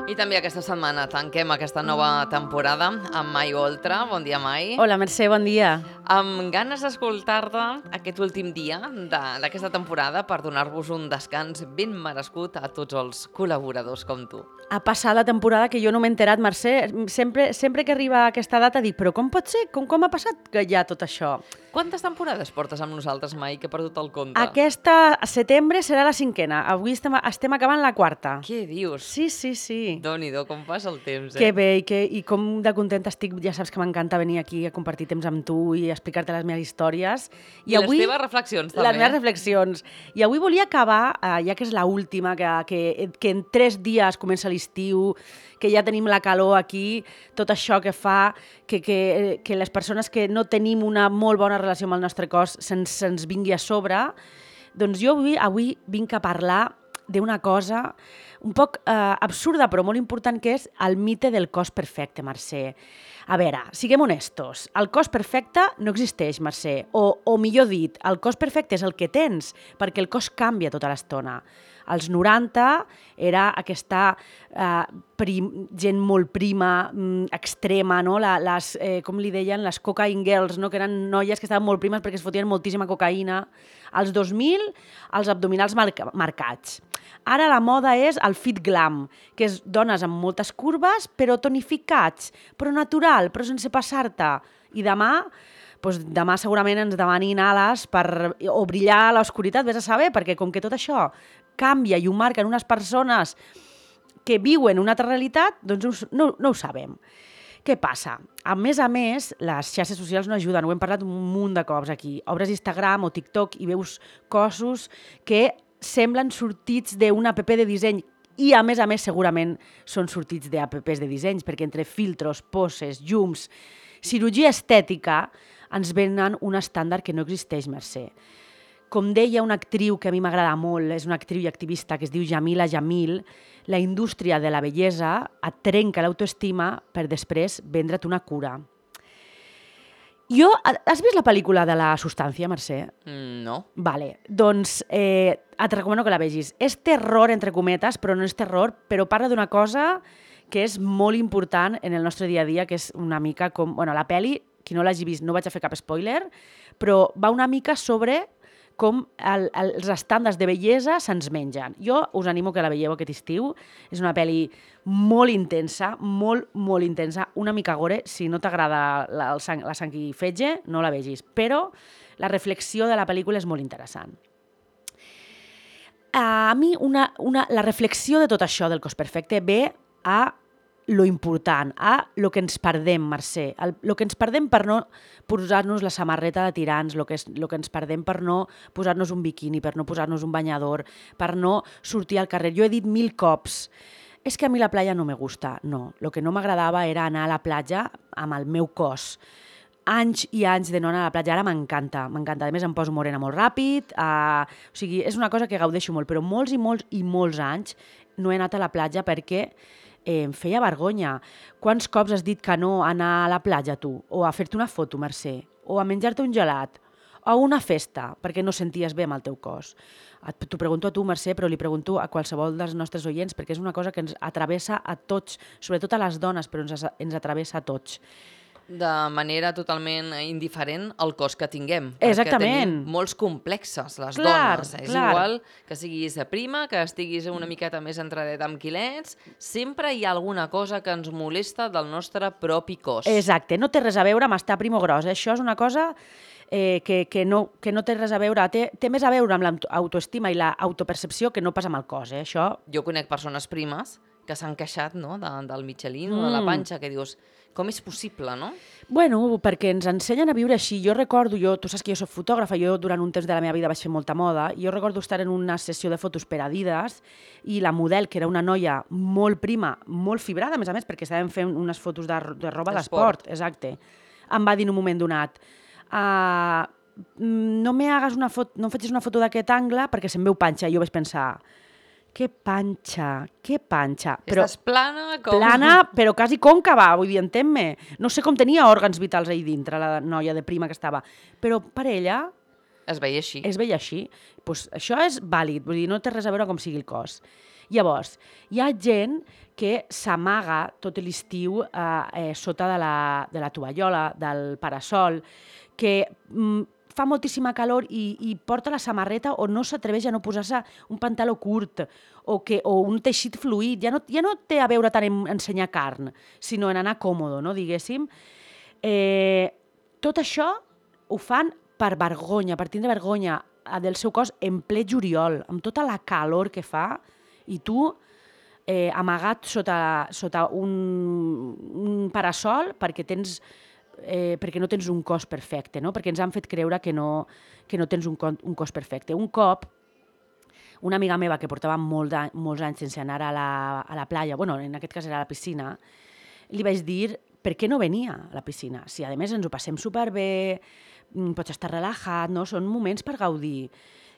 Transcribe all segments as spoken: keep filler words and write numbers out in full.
I també aquesta setmana tanquem aquesta nova temporada amb Mai Oltra. Bon dia, Mai. Hola, Mercè, bon dia. Amb ganes d'escoltar-te aquest últim dia d'aquesta temporada per donar-vos un descans ben merescut a tots els col·laboradors com tu. Ha passat la temporada que jo no m'he enterat, Mercè. Sempre, sempre que arriba aquesta data dic, però com pot ser? Com, com ha passat que hi ha tot això? Quantes temporades portes amb nosaltres, Mai, que he perdut el compte? Aquesta setembre serà la cinquena. Avui estem, estem acabant la quarta. Què dius? Sí, sí, sí. Déu-n'hi-do, com passa el temps, eh? Que bé, i, que, i com de contenta estic. Ja saps que m'encanta venir aquí a compartir temps amb tu i explicar-te les meves històries. I, I avui, les teves reflexions, també. Les meves reflexions. I avui volia acabar, eh, ja que és l'última, que, que, que en tres dies comença l'estiu, que ja tenim la calor aquí, tot això que fa que, que, que les persones que no tenim una molt bona relació amb el nostre cos se'ns, se'ns vingui a sobre. Doncs jo avui, avui vinc a parlar d'una cosa un poc eh, absurda, però molt important, que és el mite del cos perfecte, Mercè. A veure, siguem honestos, el cos perfecte no existeix, Mercè, o, o millor dit, el cos perfecte és el que tens, perquè el cos canvia tota l'estona. Als noranta era aquesta eh, prim, gent molt prima, mm, extrema, no? La, les, eh, com li deien, les cocaine girls, no? Que eren noies que estaven molt primes perquè es fotien moltíssima cocaïna. Als dos mil, els abdominals marca, marcats. Ara la moda és el fit glam, que és dones amb moltes curves, però tonificats, però natural, però sense passar-te. I demà... Doncs demà segurament ens demanin ales per, o brillar a l'oscuritat, vés a saber, perquè com que tot això canvia i ho marquen unes persones que viuen una altra realitat, doncs no, no ho sabem. Què passa? A més a més, les xarxes socials no ajuden, ho hem parlat un munt de cops aquí. Obres Instagram o TikTok i veus cossos que semblen sortits d'una app de disseny, i a més a més segurament són sortits d'apps de dissenys, perquè entre filtros, poses, llums, cirurgia estètica, ens venen un estàndard que no existeix, Mercè. Com deia una actriu que a mi m'agrada molt, és una actriu i activista que es diu Jamila Jamil, la indústria de la bellesa et trenca l'autoestima per després vendre't una cura. Jo, has vist la pel·lícula de La substància, Mercè? Mm, no. Vale, doncs eh, et recomano que la vegis. És terror, entre cometes, però no és terror, però parla d'una cosa que és molt important en el nostre dia a dia, que és una mica com... Bueno, la pel·li, qui no l'hagi vist, no vaig a fer cap spoiler, però va una mica sobre com el, els estàndards de bellesa se'ns mengen. Jo us animo que la veieu aquest estiu. És una pel·li molt intensa, molt, molt intensa, una mica gore. Si no t'agrada la, sang, la sang i fetge, no la vegis. Però la reflexió de la pel·lícula és molt interessant. A mi una, una, la reflexió de tot això del cos perfecte ve a lo important, a lo que ens perdem, Mercè, el, lo que ens perdem per no posar-nos la samarreta de tirants, lo que, és, lo que ens perdem per no posar-nos un biquini, per no posar-nos un banyador, per no sortir al carrer. Jo he dit mil cops, és que a mi la platja no me gusta. No, lo que no m'agradava era anar a la platja amb el meu cos. Anys i anys de no anar a la platja, ara m'encanta, m'encanta. A més, em poso morena molt ràpid, uh, o sigui, és una cosa que gaudeixo molt, però molts i molts i molts anys no he anat a la platja perquè Eh, em feia vergonya. Quants cops has dit que no a anar a la platja, tu? O a fer-te una foto, Mercè? O a menjar-te un gelat? O a una festa, perquè no senties bé amb el teu cos? T'ho pregunto a tu, Mercè, però li pregunto a qualsevol dels nostres oients, perquè és una cosa que ens atravessa a tots, sobretot a les dones, però ens, ens atravessa a tots. De manera totalment indiferent al cos que tinguem. Exactament. Perquè tenim molts complexes, les clar, dones. És clar. igual que siguis prima, que estiguis una miqueta més entradeta amb quilets, sempre hi ha alguna cosa que ens molesta del nostre propi cos. Exacte, no té res a veure amb estar prim o gros. Això és una cosa eh, que, que, no, que no té res a veure, té, té més a veure amb l'autoestima i l'autopercepció que no pas amb el cos. Eh? Això... Jo conec persones primes que s'han queixat, no?, de, del Michelin mm. o de la panxa, que dius, com és possible, no? Bueno, perquè ens ensenyen a viure així. Jo recordo, jo, tu saps que jo soc fotògrafa, jo durant un temps de la meva vida vaig fer molta moda, i jo recordo estar en una sessió de fotos per Adidas i la model, que era una noia molt prima, molt fibrada, a més a més, perquè estàvem fent unes fotos de, de roba d'esport, exacte, em va dir en un moment donat, uh, no me hagas una foto, no em facis una foto d'aquest angle perquè se'm veu panxa. I jo vaig pensar, que panxa, que panxa. Però, estàs plana com... Plana, però quasi còncava, vull dir, entén-me. No sé com tenia òrgans vitals ahí dintre, la noia de prima que estava. Però per ella... Es veia així. Es veia així. Pues això és vàlid, vull dir, no té res a veure com sigui el cos. Llavors, hi ha gent que s'amaga tot l'estiu eh, eh, sota de la, de la tovallola, del parasol, que mm, fa moltíssima calor i, i porta la samarreta o no s'atreveix a no posar-se un pantaló curt o, que, o un teixit fluid. Ja no, ja no té a veure tant en ensenyar carn, sinó en anar còmode, no, diguéssim. Eh, tot això ho fan per vergonya, per tindre vergonya del seu cos en ple juliol, amb tota la calor que fa, i tu eh, amagat sota, sota un, un parasol perquè tens eh, perquè no tens un cos perfecte, no? Perquè ens han fet creure que no, que no tens un, un cos perfecte. Un cop, una amiga meva que portava molt de, molts anys sense anar a la, a la playa, bueno, en aquest cas era a la piscina, li vaig dir per què no venia a la piscina. Si a més ens ho passem superbé, pots estar relaxat, no? Són moments per gaudir.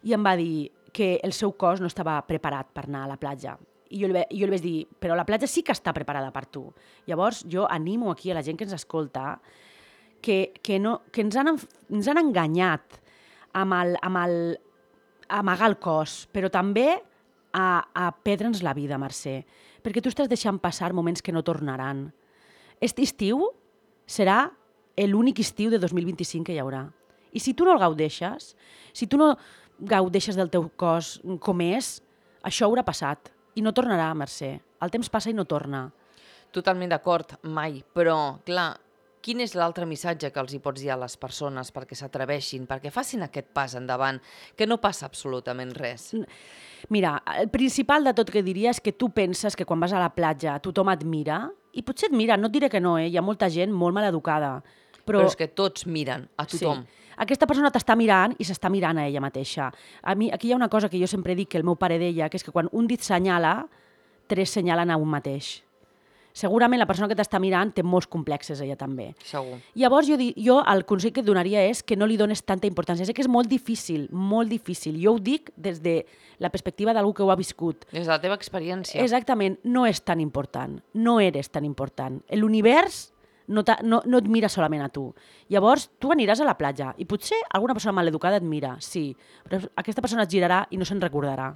I em va dir que el seu cos no estava preparat per anar a la platja. I jo li, jo li vaig dir, però la platja sí que està preparada per tu. Llavors jo animo aquí a la gent que ens escolta que, que, no, que ens, han, ens han enganyat amb el, amb el amagar el cos, però també a, a perdre'ns la vida, Mercè, perquè tu estàs deixant passar moments que no tornaran. Aquest estiu serà l'únic estiu de dos mil vint-i-cinc que hi haurà. I si tu no el gaudeixes, si tu no gaudeixes del teu cos com és, això haurà passat. I no tornarà, Mercè. El temps passa i no torna. Totalment d'acord, mai. Però, clar, quin és l'altre missatge que els hi pots dir a les persones perquè s'atreveixin, perquè facin aquest pas endavant, que no passa absolutament res? Mira, el principal de tot que diria és que tu penses que quan vas a la platja tothom et mira, i potser et mira, no et diré que no, eh? Hi ha molta gent molt maleducada. Però, però és que tots miren, a tothom. Sí. Aquesta persona t'està mirant i s'està mirant a ella mateixa. A mi, aquí hi ha una cosa que jo sempre dic que el meu pare deia, que és que quan un dit senyala, tres senyalen a un mateix. Segurament la persona que t'està mirant té molts complexes, ella també. Segur. Llavors jo, jo el consell que et donaria és que no li dones tanta importància. Sé que és molt difícil, molt difícil. Jo ho dic des de la perspectiva d'algú que ho ha viscut. Des de la teva experiència. Exactament, no és tan important. No eres tan important. L'univers no, no, no et mira solament a tu. Llavors, tu aniràs a la platja i potser alguna persona maleducada et mira, sí, però aquesta persona et girarà i no se'n recordarà.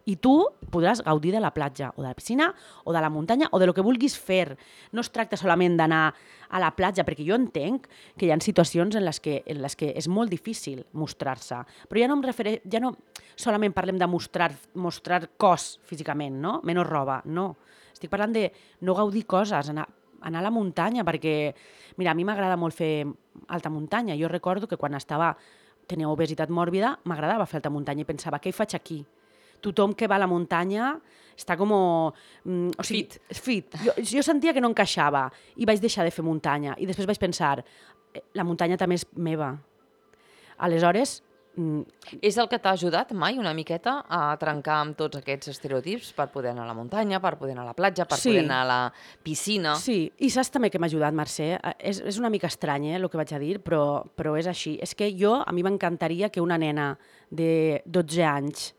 I tu podràs gaudir de la platja, o de la piscina, o de la muntanya, o de lo que vulguis fer. No es tracta solament d'anar a la platja, perquè jo entenc que hi ha situacions en les que, en les que és molt difícil mostrar-se. Però ja no, em refere... ja no solament parlem de mostrar, mostrar cos físicament, no? Menys roba, no. Estic parlant de no gaudir coses, anar, anar a la muntanya, perquè, mira, a mi m'agrada molt fer alta muntanya. Jo recordo que quan estava, tenia obesitat mòrbida, m'agradava fer alta muntanya i pensava, què hi faig aquí? Tothom que va a la muntanya està com... Mm, o sigui, fit. fit. Jo, jo sentia que no encaixava i vaig deixar de fer muntanya. I després vaig pensar, la muntanya també és meva. Aleshores... Mm, és el que t'ha ajudat mai una miqueta a trencar amb tots aquests estereotips per poder anar a la muntanya, per poder anar a la platja, per sí. poder anar a la piscina? Sí, i saps també que m'ha ajudat, Mercè? És, és una mica estrany, eh, el que vaig a dir, però, però és així. És que jo, a mi m'encantaria que una nena de dotze anys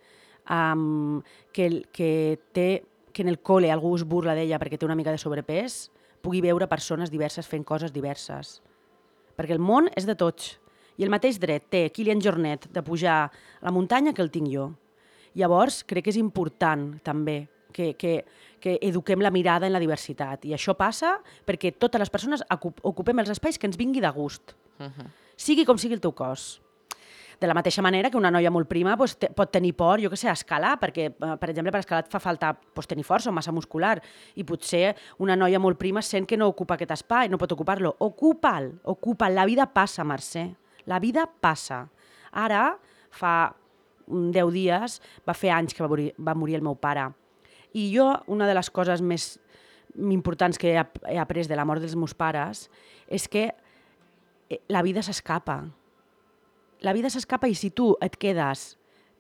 Um, que, que, té, que en el col·le algú es burla d'ella perquè té una mica de sobrepès, pugui veure persones diverses fent coses diverses. Perquè el món és de tots. I el mateix dret té Kilian Jornet de pujar a la muntanya que el tinc jo. Llavors, crec que és important també que, que, que eduquem la mirada en la diversitat. I això passa perquè totes les persones ocupem els espais que ens vingui de gust. Uh-huh. Sigui com sigui el teu cos. De la mateixa manera que una noia molt prima pues, te, pot tenir por, jo què sé, a escalar, perquè, per exemple, per escalar et fa falta pues, tenir força o massa muscular, i potser una noia molt prima sent que no ocupa aquest espai, no pot ocupar-lo. Ocupa'l, ocupa'l. La vida passa, Mercè. La vida passa. Ara, fa deu dies, va fer anys que va morir, va morir el meu pare. I jo, una de les coses més importants que he, he après de la mort dels meus pares és que la vida s'escapa. La vida s'escapa i si tu et quedes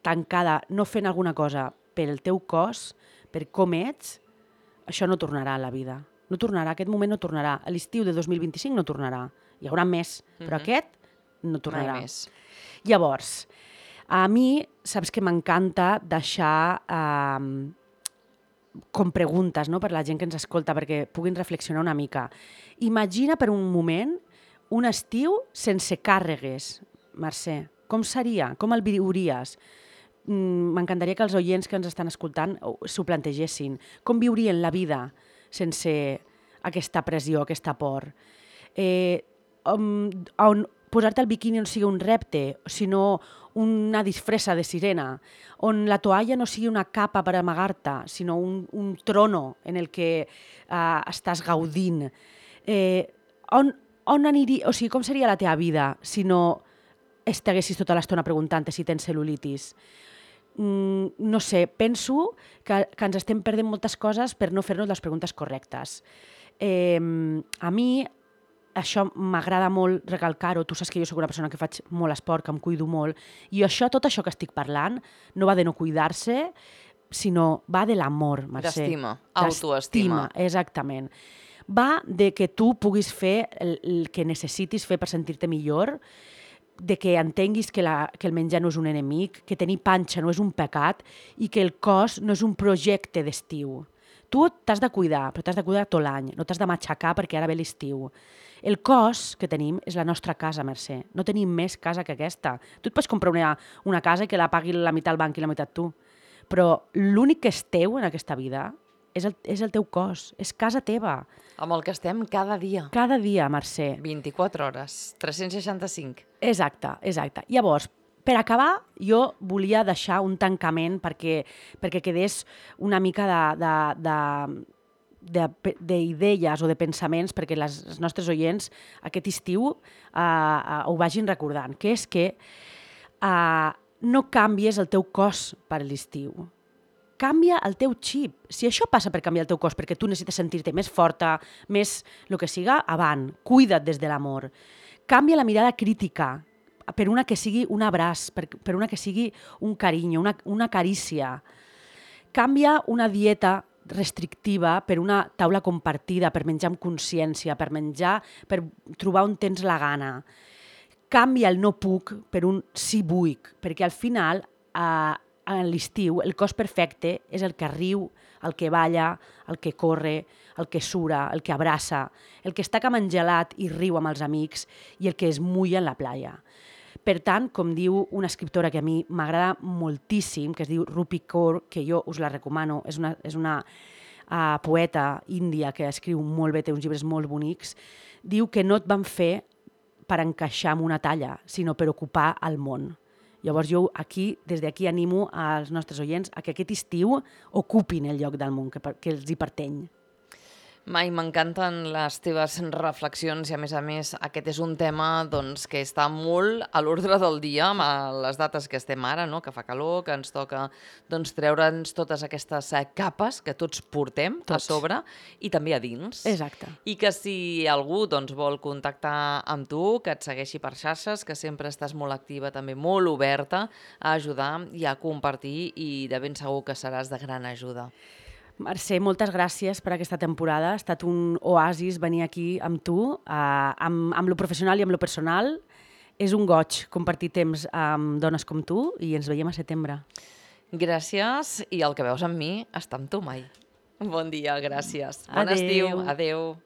tancada no fent alguna cosa per el teu cos, per com ets, això no tornarà a la vida. No tornarà, aquest moment no tornarà. A l'estiu de dos mil vint-i-cinc no tornarà. Hi haurà més, però uh-huh. aquest no tornarà. Mai més. Llavors, a mi, saps que m'encanta deixar eh, com preguntes, no?, per la gent que ens escolta, perquè puguin reflexionar una mica. Imagina per un moment un estiu sense càrregues, Mercè. Com seria? Com el viuries? m'encantaria que els oients que ens estan escoltant s'ho plantegessin. Com viurien la vida sense aquesta pressió, aquesta por? Eh, on, on posar-te el biquini no sigui un repte, sinó una disfressa de sirena, on la toalla no sigui una capa per amagar-te, sinó un, un trono en el que uh, estàs gaudint. Eh, on, on aniria, o sigui, com seria la teva vida si no estiguessis tota l'estona preguntant-te si tens cel·lulitis? Mm, no sé, penso que, que ens estem perdent moltes coses per no fer-nos les preguntes correctes. Eh, a mi això m'agrada molt recalcar-ho, tu saps que jo soc una persona que faig molt esport, que em cuido molt, i això, tot això que estic parlant no va de no cuidar-se, sinó va de l'amor, Mercè. D'estima, autoestima. Exactament. Va de que tu puguis fer el, el que necessitis fer per sentir-te millor, de que entenguis que, la, que el menjar no és un enemic, que tenir panxa no és un pecat i que el cos no és un projecte d'estiu. Tu t'has de cuidar, però t'has de cuidar tot l'any, no t'has de matxacar perquè ara ve l'estiu. El cos que tenim és la nostra casa, Mercè. No tenim més casa que aquesta. Tu et pots comprar una, una casa que la pagui la meitat el banc i la meitat tu, però l'únic que és teu en aquesta vida és el, és el teu cos, és casa teva. Amb el que estem cada dia. Cada dia, Mercè. vint-i-quatre hores, tres-cents seixanta-cinc. Exacte, exacte. Llavors, per acabar, jo volia deixar un tancament perquè, perquè quedés una mica de, de, de, d'idees o de pensaments perquè les, els nostres oients aquest estiu uh, uh, ho vagin recordant, que és que uh, no canvies el teu cos per l'estiu. Canvia el teu xip. Si això passa per canviar el teu cos perquè tu necessites sentir-te més forta, més el que siga, avant, cuida't des de l'amor. Canvia la mirada crítica per una que sigui un abraç, per, per una que sigui un carinyo, una, una carícia. Canvia una dieta restrictiva per una taula compartida, per menjar amb consciència, per menjar, per trobar on tens la gana. Canvia el no puc per un sí vull, perquè al final eh, a l'estiu el cos perfecte és el que riu, el que balla, el que corre, el que sura, el que abraça, el que està camangelat i riu amb els amics i el que es mulla en la playa. Per tant, com diu una escriptora que a mi m'agrada moltíssim, que es diu Rupi Kaur, que jo us la recomano, és una, és una uh, poeta índia que escriu molt bé, té uns llibres molt bonics, diu que no et van fer per encaixar en una talla, sinó per ocupar el món. Llavors jo aquí, des d'aquí animo als nostres oients a que aquest estiu ocupin el lloc del món que, que els hi pertany. Mai, m'encanten les teves reflexions i, a més a més, aquest és un tema doncs, que està molt a l'ordre del dia amb les dates que estem ara, no? Que fa calor, que ens toca doncs, treure'ns totes aquestes capes que tots portem tots. A sobre i també a dins. Exacte. I que si algú doncs, vol contactar amb tu, que et segueixi per xarxes, que sempre estàs molt activa, també molt oberta a ajudar i a compartir i de ben segur que seràs de gran ajuda. Mercè, moltes gràcies per aquesta temporada. Ha estat un oasis venir aquí amb tu, eh, amb, amb lo professional i amb lo personal. És un goig compartir temps amb dones com tu i ens veiem a setembre. Gràcies, i el que veus amb mi està amb tu mai. Bon dia, gràcies. Bon Adeu. estiu. Adeu.